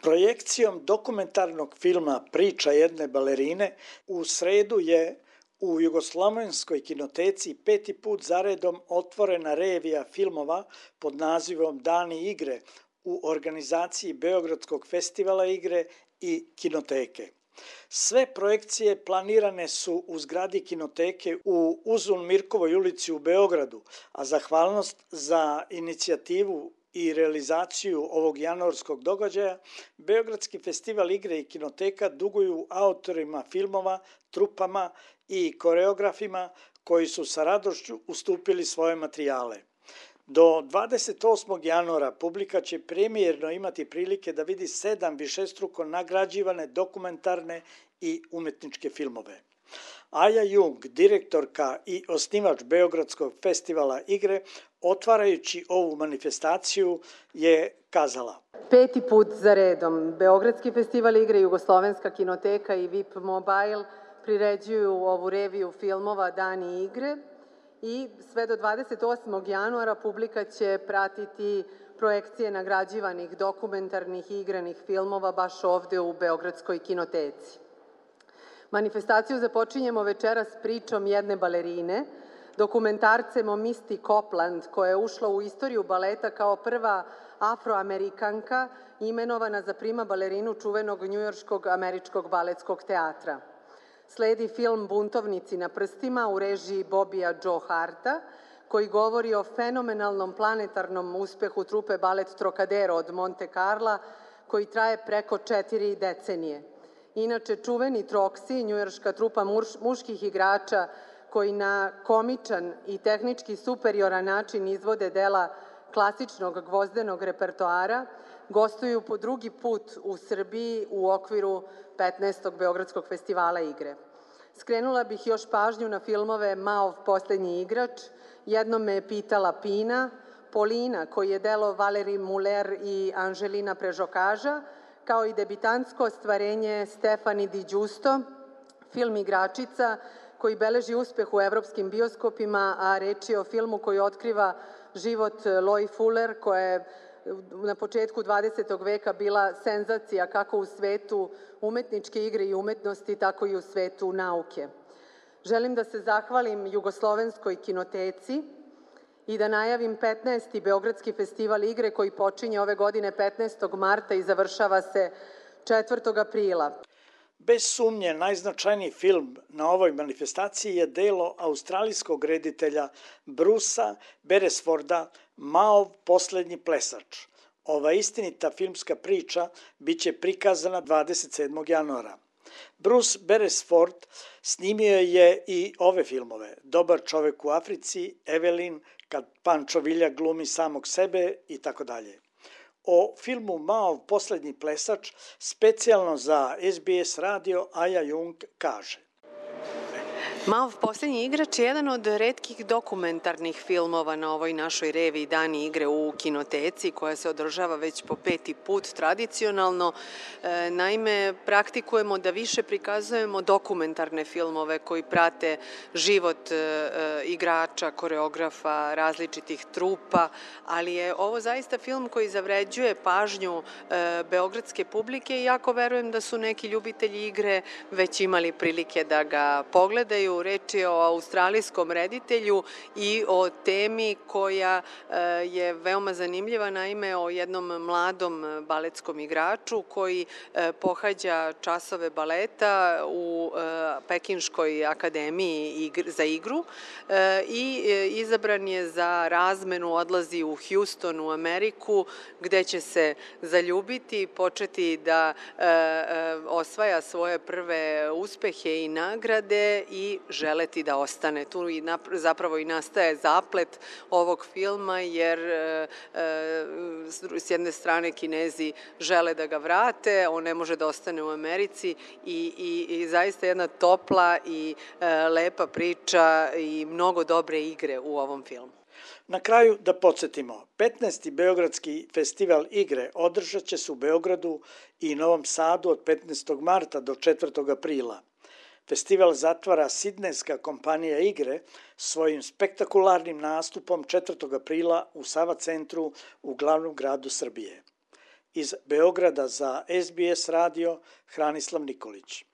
Projekcijom dokumentarnog filma Priča jedne balerine u sredu je u Jugoslovenskoj kinoteci 5. put zaredom otvorena revija filmova pod nazivom Dani igre u organizaciji Beogradskog festivala igre i kinoteke. Sve projekcije planirane su u zgradi kinoteke u Uzun Mirkovoj ulici u Beogradu, a zahvalnost za inicijativu i realizaciju ovog januarskog događaja Beogradski festival igre i kinoteka duguju autorima filmova, trupama i koreografima koji su sa radošću ustupili svoje materijale. Do 28. januara publika će premijerno imati prilike da vidi 7 višestruko nagrađivane dokumentarne i umetničke filmove. Aja Jung, direktorka i osnivač Beogradskog festivala igre, otvarajući ovu manifestaciju je kazala: 5. put za redom Beogradski festival igre, Jugoslovenska kinoteka i VIP Mobile priređuju ovu reviju filmova Dani igre i sve do 28. januara publika će pratiti projekcije nagrađivanih dokumentarnih i igranih filmova baš ovde u Beogradskoj kinoteci. Manifestaciju započinjemo večeras pričom jedne balerine, dokumentarcem o Misty Copeland, koja je ušla u istoriju baleta kao prva afroamerikanka imenovana za prima balerinu čuvenog njujorškog američkog baletskog teatra. Sledi film Buntovnici na prstima u režiji Bobija Joe Harta, koji govori o fenomenalnom planetarnom uspehu trupe Balet Trocadero od Monte Carla, koji traje preko 4 decenije. Inače, čuveni Troksi, njujorška trupa muških igrača koji na komičan i tehnički superioran način izvode dela klasičnog gvozdenog repertoara, gostuju po drugi put u Srbiji u okviru 15. Beogradskog festivala igre. Skrenula bih još pažnju na filmove Maov poslednji igrač, Jednom me je pitala Pina, Polina, koji je delo Valeri Muller i Anželina Prežokaža, kao i debitantsko ostvarenje Stefani Di Giusto, film Igračica, koji beleži uspeh u evropskim bioskopima, a reč je o filmu koji otkriva život Loy Fuller, koja je na početku 20. veka bila senzacija kako u svetu umetničke igre i umetnosti, tako i u svetu nauke. Želim da se zahvalim Jugoslovenskoj kinoteci i da najavim 15. Beogradski festival igre koji počinje ove godine 15. marta i završava se 4. aprila. Bez sumnje, najznačajniji film na ovoj manifestaciji je delo australijskog reditelja Brucea Beresforda Maov poslednji plesač. Ova istinita filmska priča biće prikazana 27. januara. Bruce Beresford snimio je i ove filmove: Dobar čovek u Africi, Evelyn, Kad Pančo Vilja glumi samog sebe i tako dalje. O filmu Maov poslednji plesač specijalno za SBS radio Aja Jung kaže: Maov poslednji igrač je jedan od retkih dokumentarnih filmova na ovoj našoj reviji Dani igre u kinoteci, koja se održava već po 5. put tradicionalno. Naime, praktikujemo da više prikazujemo dokumentarne filmove koji prate život igrača, koreografa, različitih trupa, ali je ovo zaista film koji zavređuje pažnju beogradske publike i jako verujem da su neki ljubitelji igre već imali prilike da ga pogledaju. Reč je o australijskom reditelju i o temi koja je veoma zanimljiva, naime o jednom mladom baletskom igraču koji pohađa časove baleta u Pekinškoj akademiji za igru i izabran je za razmenu, odlazi u Houston u Ameriku, gde će se zaljubiti, početi da osvaja svoje prve uspehe i nagrade i želeti da ostane. Tu zapravo i nastaje zaplet ovog filma, jer s jedne strane Kinezi žele da ga vrate, on ne može da ostane u Americi i zaista jedna topla i lepa priča i mnogo dobre igre u ovom filmu. Na kraju da podsjetimo, 15. Beogradski festival igre održat će se u Beogradu i Novom Sadu od 15. marta do 4. aprila. Festival zatvara sidnejska kompanija igre svojim spektakularnim nastupom 4. aprila u Sava centru u glavnom gradu Srbije. Iz Beograda za SBS radio Hranislav Nikolić.